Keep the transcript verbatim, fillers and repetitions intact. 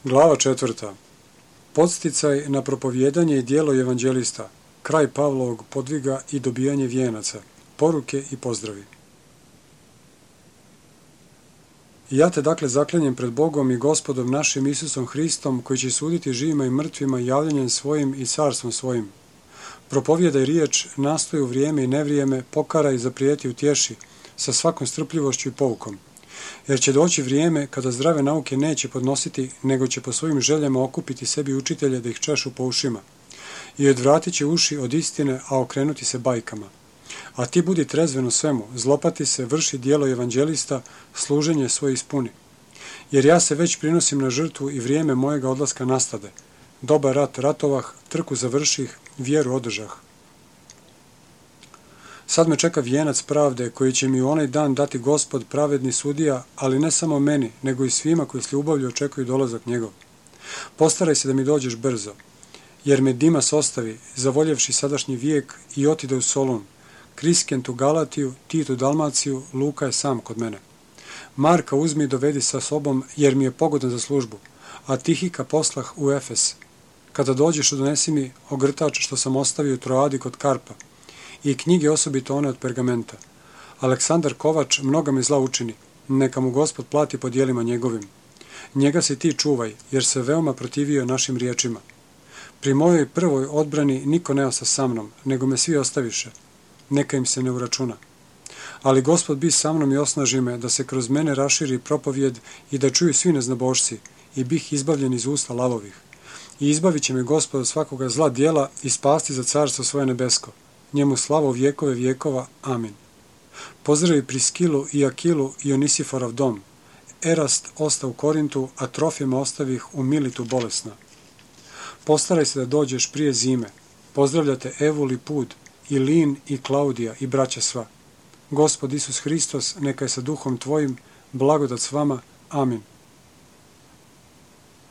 Glava četvrta. Podsticaj na propovijedanje i djelo evanđelista, kraj Pavlovog podviga i dobijanje vijenaca, poruke i pozdravi. Ja te dakle zaklinjem pred Bogom i Gospodom našim Isusom Hristom, koji će suditi živima i mrtvima javljanjem svojim i carstvom svojim. Propovijedaj riječ, nastoj u vrijeme i nevrijeme, pokaraj, zaprijeti, utješi, sa svakom strpljivošću i poukom. Jer će doći vrijeme kada zdrave nauke neće podnositi, nego će po svojim željama okupiti sebi učitelje da ih češu po ušima. I odvratit će uši od istine, a okrenuti se bajkama. A ti budi trezven u svemu, zlopati se, vrši djelo evanđelista, služenje svoje ispuni. Jer ja se već prinosim na žrtvu i vrijeme mojega odlaska nastade. Dobar rat ratovah, trku završih, vjeru održah. Sad me čeka vijenac pravde koji će mi u onaj dan dati Gospod pravedni sudija, ali ne samo meni, nego i svima koji s ljubavlju očekuju dolazak njegov. Postaraj se da mi dođeš brzo, jer me Dimas ostavi, zavoljevši sadašnji vijek, i otide u Solun. Kriskent u Galatiju, Tit u Dalmaciju, Luka je sam kod mene. Marka uzmi i dovedi sa sobom, jer mi je pogodan za službu, a Tihika poslah u Efes. Kada dođeš, donesi mi ogrtač što sam ostavio u Troadi kod Karpa, i knjige osobito one od pergamenta. Aleksandar Kovač mnoga mi zla učini, neka mu Gospod plati po djelima njegovim. Njega se ti čuvaj, jer se veoma protivio našim riječima. Pri mojoj prvoj odbrani niko ne osta sa mnom, nego me svi ostaviše. Neka im se ne uračuna. Ali Gospod bi sa mnom i osnaži me da se kroz mene raširi propovijed i da čuju svi neznabošci, i bih izbavljen iz usta lavovih. I izbavit će me Gospod od svakoga zla djela i spasti za carstvo svoje nebesko. Njemu slavo vjekove vjekova. Amin. Pozdravi Priskilu i Akilu i Onisiforov dom. Erast osta u Korintu, a Trofima ostavih u Militu bolesna. Postaraj se da dođeš prije zime. Pozdravljate Evul i Pud, i Lin i Klaudija i braća sva. Gospod Isus Hristos, neka je sa duhom tvojim, blagodat s vama. Amin.